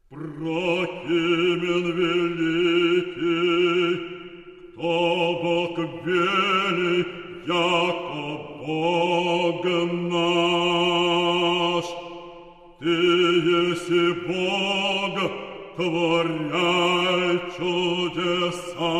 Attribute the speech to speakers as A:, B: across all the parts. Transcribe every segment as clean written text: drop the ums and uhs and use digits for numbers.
A: Прохимен великий, кто Бог вели, яко Бог наш. Ты еси Бог, творяй чудеса.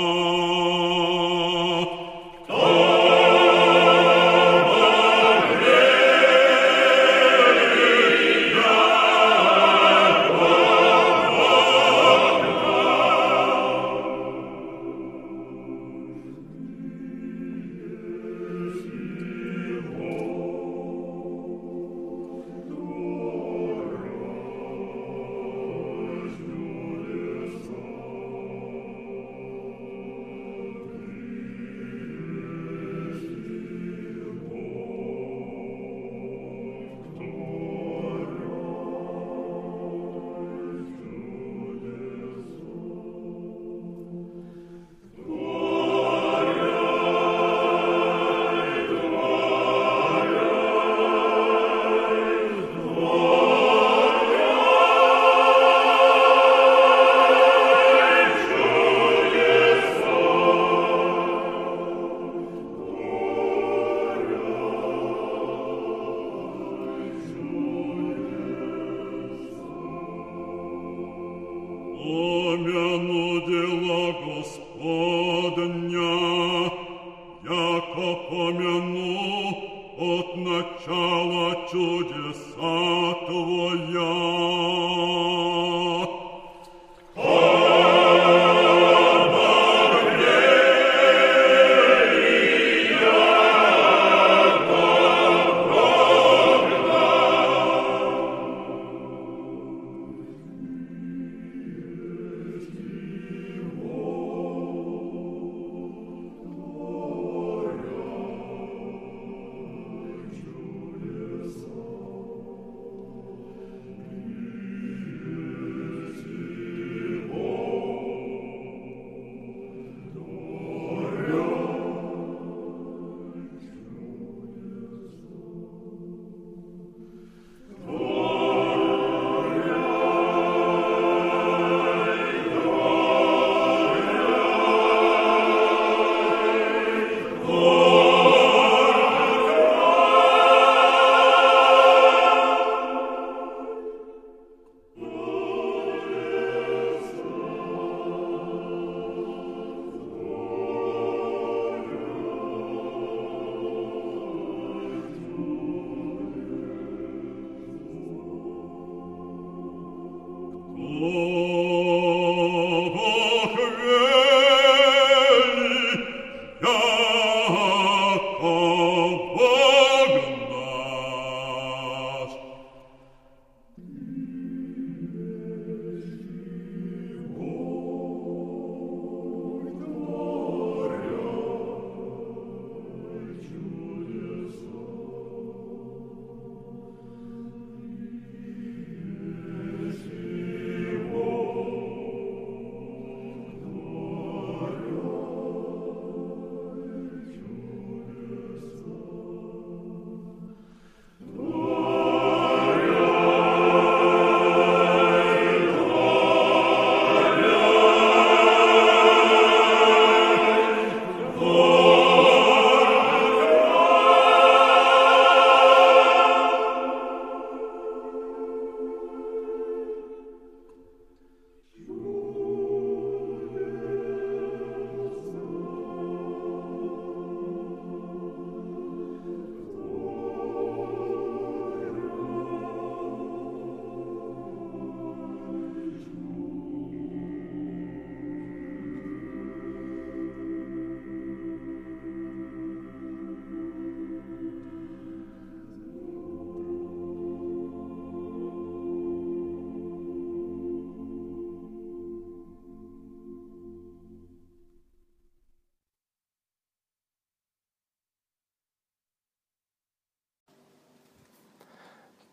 A: Помяну дела Господня, яко помяну от начала чудеса Твоя.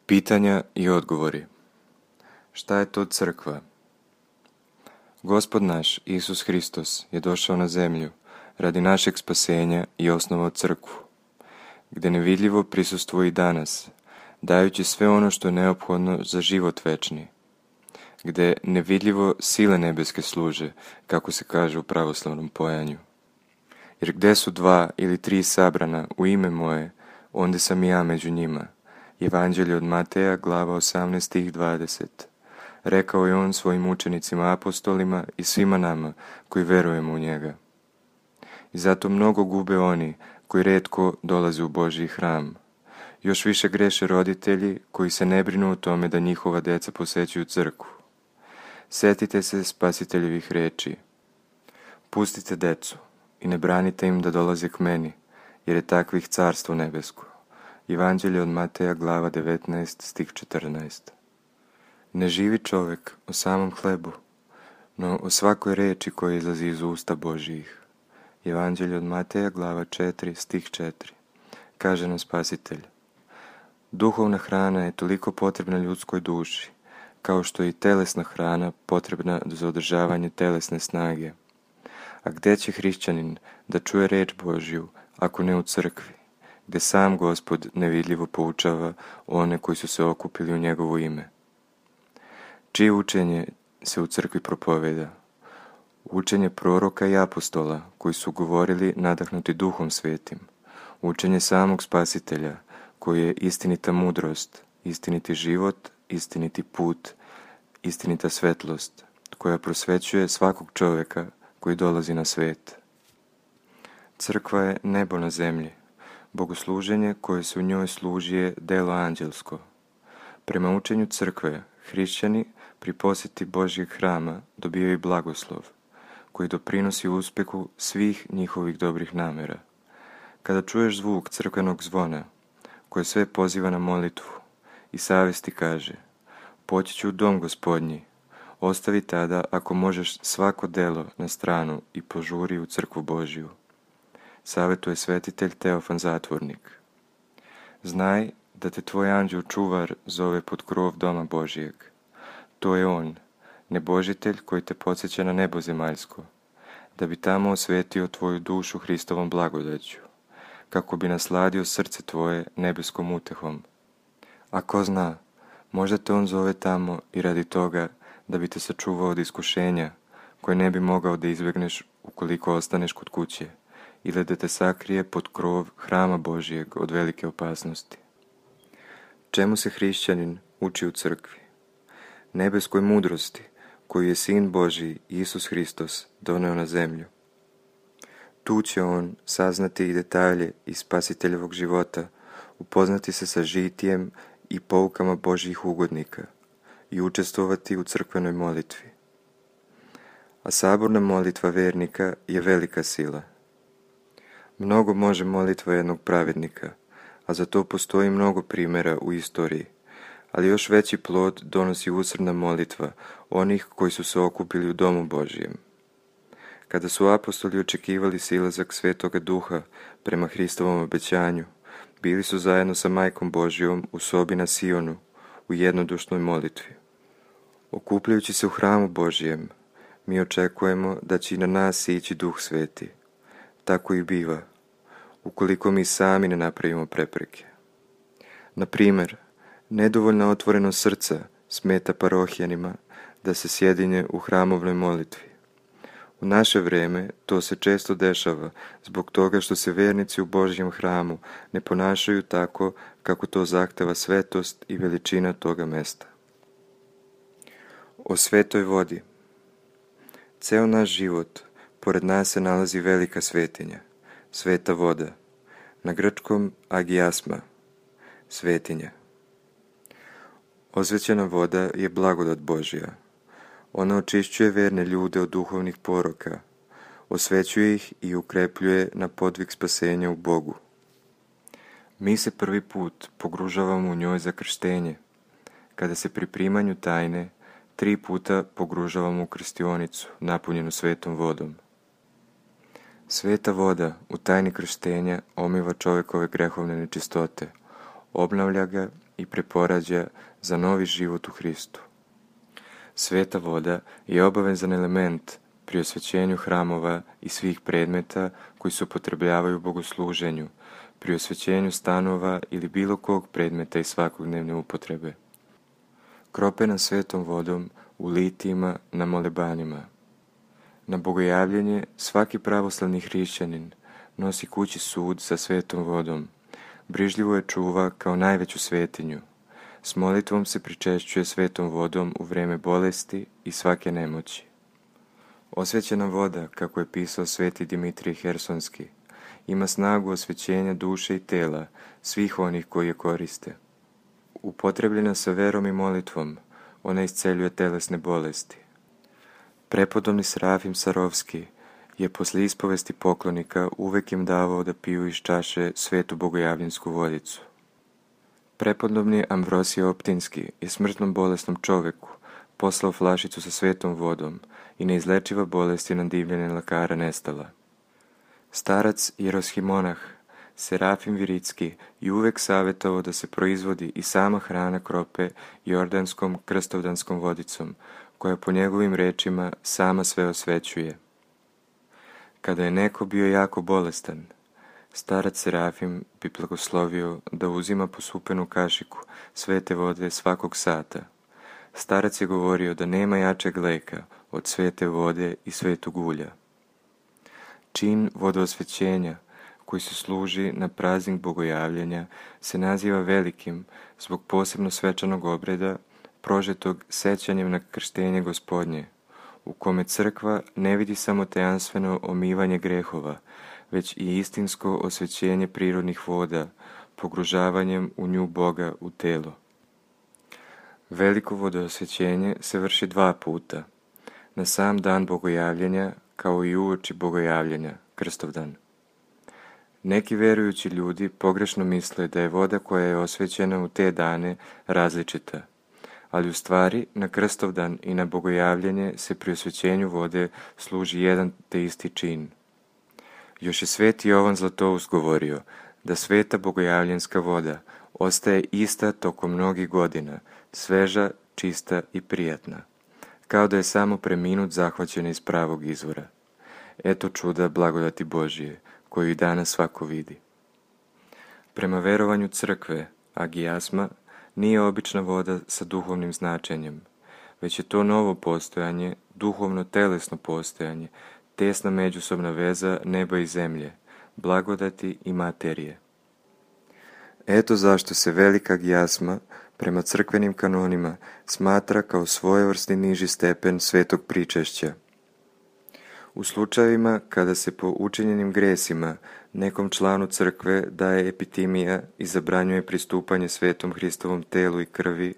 B: Pitanja i odgovori. Šta je to crkva? Gospod naš, Isus Hristos, je došao na zemlju radi našeg spasenja i osnovao crkvu, gdje nevidljivo prisustvuje i danas, dajući sve ono što je neophodno za život večni. gdje nevidljivo sile nebeske služe, kako se kaže u pravoslavnom pojanju. Jer gdje su 2 ili 3 sabrana u ime moje, onda sam i ja među njima. Evanđelje od Mateja, glava 18, stih 20. Rekao je on svojim učenicima apostolima i svima nama koji verujemo u njega. I zato mnogo gube oni koji retko dolaze u Božji hram. Još više greše roditelji koji se ne brinu o tome da njihova djeca posećuju crkvu. Sjetite se Spasiteljevih riječi. Pustite decu i ne branite im da dolaze k meni, jer je takvih carstvo nebesko. Evanđelje od Mateja, glava 19, stih 14. Ne živi čovjek o samom hlebu, no o svakoj riječi koja izlazi iz usta Božjih. Evanđelje od Mateja, glava 4, stih 4. Kaže nam Spasitelj. Duhovna hrana je toliko potrebna ljudskoj duši, kao što je i telesna hrana potrebna za održavanje telesne snage. A gdje će hrišćanin da čuje riječ Božju, ako ne u crkvi, gdje sam Gospod nevidljivo poučava one koji su se okupili u njegovo ime? Čije učenje se u crkvi propoveda? Učenje proroka i apostola koji su govorili nadahnuti Duhom Svetim. Učenje samog Spasitelja koji je istinita mudrost, istiniti život, istiniti put, istinita svetlost koja prosvećuje svakog čovjeka koji dolazi na svijet. Crkva je nebo na zemlji. Bogosluženje koje se u njoj služi je delo anđelsko. Prema učenju crkve, hrišćani pri posjeti Božjeg hrama dobijaju blagoslov, koji doprinosi uspjehu svih njihovih dobrih namjera. Kada čuješ zvuk crkvenog zvona, koje sve poziva na molitvu, i savjesti kaže, poći ću u dom Gospodnji, ostavi tada ako možeš svako delo na stranu i požuri u crkvu Božju. Savjetuje svetitelj Teofan Zatvornik. Znaj da te tvoj anđeo čuvar zove pod krov doma Božjeg. To je on, nebožitelj koji te podsjeća na nebo zemaljsko, da bi tamo osvetio tvoju dušu Hristovom blagodaću, kako bi nasladio srce tvoje nebeskom utehom. A ko zna, možda te on zove tamo i radi toga da bi te sačuvao od iskušenja koje ne bi mogao da izbjegneš ukoliko ostaneš kod kuće, ili da te sakrije pod krov hrama Božjeg od velike opasnosti. Čemu se hrišćanin uči u crkvi? Nebeskoj mudrosti koju je Sin Božji Isus Hristos doneo na zemlju. Tu će on saznati i detalje iz Spasiteljevog života, upoznati se sa žitijem i poukama Božjih ugodnika i učestvovati u crkvenoj molitvi. A saborna molitva vernika je velika sila. Mnogo može molitva jednog pravednika, a za to postoji mnogo primjera u istoriji, ali još veći plod donosi usrdna molitva onih koji su se okupili u domu Božjem. Kada su apostoli očekivali silazak Svetoga Duha prema Hristovom obećanju, bili su zajedno sa Majkom Božjom u sobi na Sionu, u jednodušnoj molitvi. Okupljajući se u hramu Božjem, mi očekujemo da će i na nas sići Duh Sveti. Tako i biva, ukoliko mi sami ne napravimo prepreke. Na primjer, nedovoljna otvorenost srca smeta parohjanima da se sjedinje u hramovnoj molitvi. U naše vrijeme to se često dešava zbog toga što se vjernici u Božjem hramu ne ponašaju tako kako to zahteva svetost i veličina toga mesta. O svetoj vodi. Ceo naš život, pored nas se nalazi velika svetinja, sveta voda, na grčkom agiasma, svetinja. Osvećena voda je blagodat Božja. Ona očišćuje verne ljude od duhovnih poroka, osvećuje ih i ukrepljuje na podvig spasenja u Bogu. Mi se prvi put pogružavamo u njoj za krštenje, kada se pri primanju tajne 3 puta pogružavamo u krstionicu napunjenu svetom vodom. Sveta voda u tajni krštenja omiva čovjekove grehovne nečistote, obnavlja ga i preporađa za novi život u Hristu. Sveta voda je obavezan element pri osvećenju hramova i svih predmeta koji se upotrebljavaju u bogosluženju, pri osvećenju stanova ili bilo kog predmeta iz svakodnevne upotrebe. Kropena svetom vodom u litijima, na molebanima. Na bogojavljenje svaki pravoslavni hrišćanin nosi kući sud sa svetom vodom, brižljivo je čuva kao najveću svetinju. S molitvom se pričešćuje svetom vodom u vreme bolesti i svake nemoći. Osvećena voda, kako je pisao sveti Dimitrij Hersonski, ima snagu osvećenja duše i tela svih onih koji je koriste. Upotrebljena sa verom i molitvom, ona isceljuje telesne bolesti. Prepodobni Serafim Sarovski je posle ispovesti poklonika uvek im davao da piju iz čaše svetu bogojavljensku vodicu. Prepodobni Amvrosije Optinski je smrtnom bolesnom čoveku poslao flašicu sa svetom vodom i neizlečiva bolest je na divljenje lekara nestala. Starac Jeroskimonah Serafim Viritski je uvek savjetovao da se proizvodi i sama hrana krope jordanskom krstovdanskom vodicom, koja po njegovim rečima sama sve osvećuje. Kada je neko bio jako bolestan, starac Serafim bi blagoslovio da uzima posupenu kašiku svete vode svakog sata. Starac je govorio da nema jačeg leka od svete vode i svetog ulja. Čin vodoosvećenja, koji se služi na praznik bogojavljenja, se naziva velikim zbog posebno svečanog obreda prožetog sećanjem na krštenje Gospodnje, u kome crkva ne vidi samo tajanstveno omivanje grehova, već i istinsko osvećenje prirodnih voda, pogružavanjem u nju Boga u telo. Veliko vodoosvećenje se vrši 2 puta, na sam dan bogojavljenja kao i uoči bogojavljenja, Krstovdan. Neki verujući ljudi pogrešno misle da je voda koja je osvećena u te dane različita, ali u stvari na Krstovdan i na bogojavljenje se pri osvećenju vode služi jedan te isti čin. Još je sveti Jovan Zlatoust govorio da sveta bogojavljenska voda ostaje ista tokom mnogih godina, sveža, čista i prijatna, kao da je samo preminut zahvaćena iz pravog izvora. Eto čuda blagodati Božije, koju i danas svako vidi. Prema verovanju crkve, agijasma nije obična voda sa duhovnim značenjem, već je to novo postojanje, duhovno-telesno postojanje, tesna međusobna veza neba i zemlje, blagodati i materije. Eto zašto se velika agijasma prema crkvenim kanonima smatra kao svojevrsni niži stepen svetog pričešća. U slučajevima kada se po učinjenim gresima nekom članu crkve daje epitimija i zabranjuje pristupanje svetom Hristovom telu i krvi,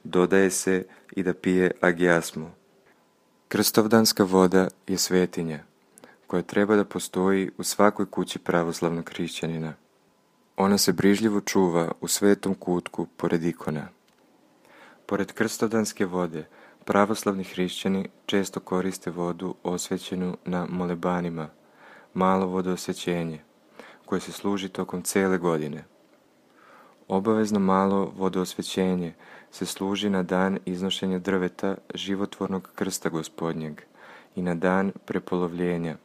B: dodaje se i da pije agijasmu. Krstovdanska voda je svetinja, koja treba da postoji u svakoj kući pravoslavnog hrišćanina. Ona se brižljivo čuva u svetom kutku pored ikona. Pored krstovdanske vode, pravoslavni hrišćani često koriste vodu osvećenu na molebanima, malo vodoosvećenje, koje se služi tokom cele godine. Obavezno malo vodoosvećenje se služi na dan iznošenja drveta životvornog krsta Gospodnjeg i na dan prepolovljenja,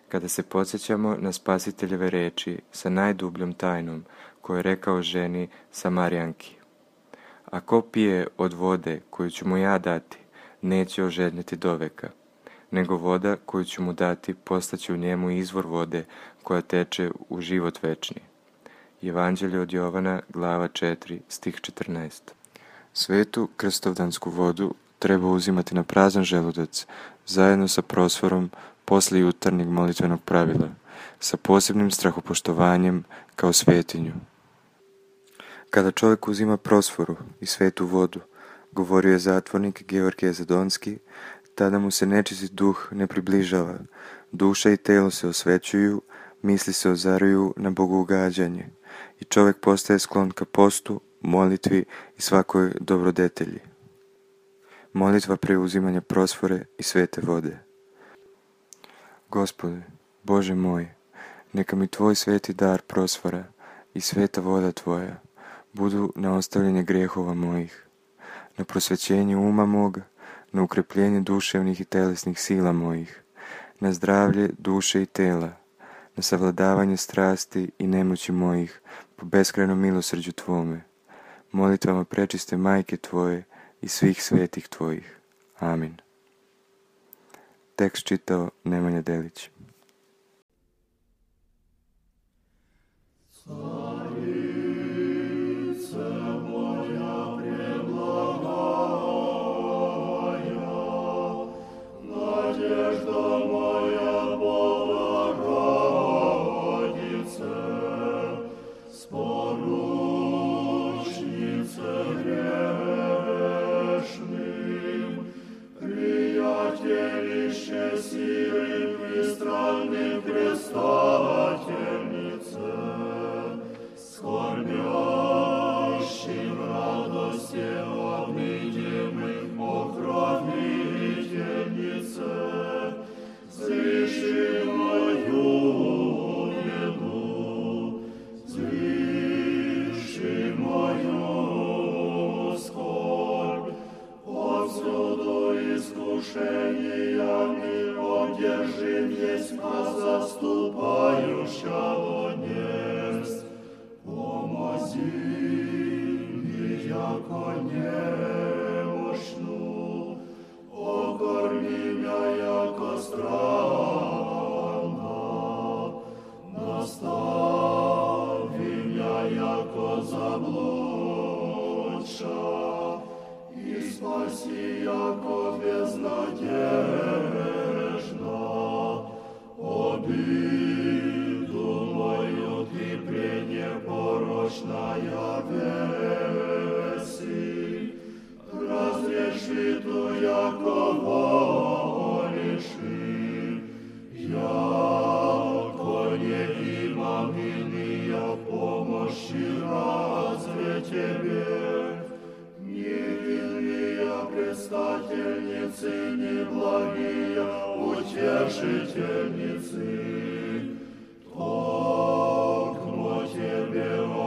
B: kada se podsjećamo na Spasiteljeve reči sa najdubljom tajnom koju je rekao ženi Samarijanki. A ko pije od vode koju ću mu ja dati, neće ožednjeti doveka, nego voda koju ću mu dati postaće u njemu izvor vode koja teče u život večni. Evanđelje od Jovana, glava 4, stih 14. Svetu krstovdansku vodu treba uzimati na prazan želudac, zajedno sa prosforom posle jutarnjeg molitvenog pravila, sa posebnim strahopoštovanjem kao svetinju. Kada čovjek uzima prosforu i svetu vodu, govorio je zatvornik Georgije Zadonski, tada mu se nečist duh ne približava, duša i telo se osvećuju, misli se ozaruju na bogougađanje i čovjek postaje sklon ka postu, molitvi i svakoj dobrodetelji. Molitva preuzimanja prosfore i svete vode. Gospode, Bože moj, neka mi Tvoj sveti dar prosfora i sveta voda Tvoja budu na ostavljanje grehova mojih, na prosvećenje uma moga, na ukrepljenje duševnih i telesnih sila mojih, na zdravlje duše i tela, na savladavanje strasti i nemoći mojih po beskrajnom milosrđu Tvome, molitvama prečiste Majke Tvoje i svih svetih Tvojih. Amin. Tekst čitao Nemanja Delić.
C: Утешительницы, токмо Тебе,